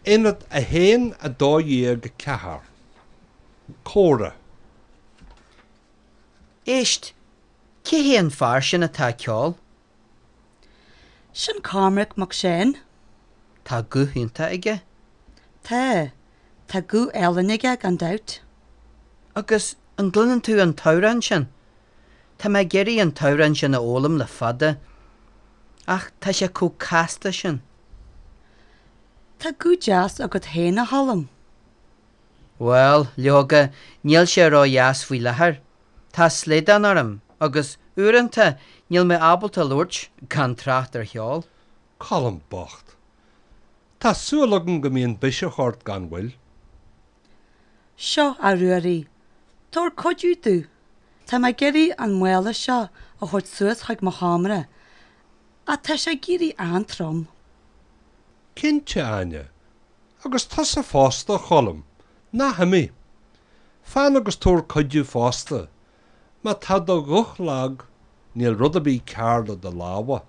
Aonad 1 12 4. Comhrá. Éist, cé hé an fear sin atá ag ceol? Sin Cormac Mac Seáin. Tá guth iontach aige. Tá. Tá guth álainn aige gan dabht. Agus an gcluineann tú an t-amhrán sin? Tá mé ag iarraidh an t-amhrán sin a fhoghlaim le fada. Ach tá sé chomh casta sin. Tá guth deas agat féin, a Choilm. Bhuel, leoga, níl sé ró-dheas faoi láthair. Tá slaghdán orm agus, uaireanta, níl mé ábalta labhairt, gan trácht ar cheol. Colm bocht. Tá súil agam go mbíonn biseach ort gan mhoill. Seo, a Ruairí, tabhair cuidiú domh. Tá mé ag iarraidh an mála seo a thabhairt suas chuig mo sheomra, ach tá sé ag éirí an-trom. Cinnte, Áine. Agus tusa fosta, a Choilm. Ná himigh. Fan agus tabhair cuidiú fosta. Má tá do ghuth lag, níl rud ar bith cearr le do lámha.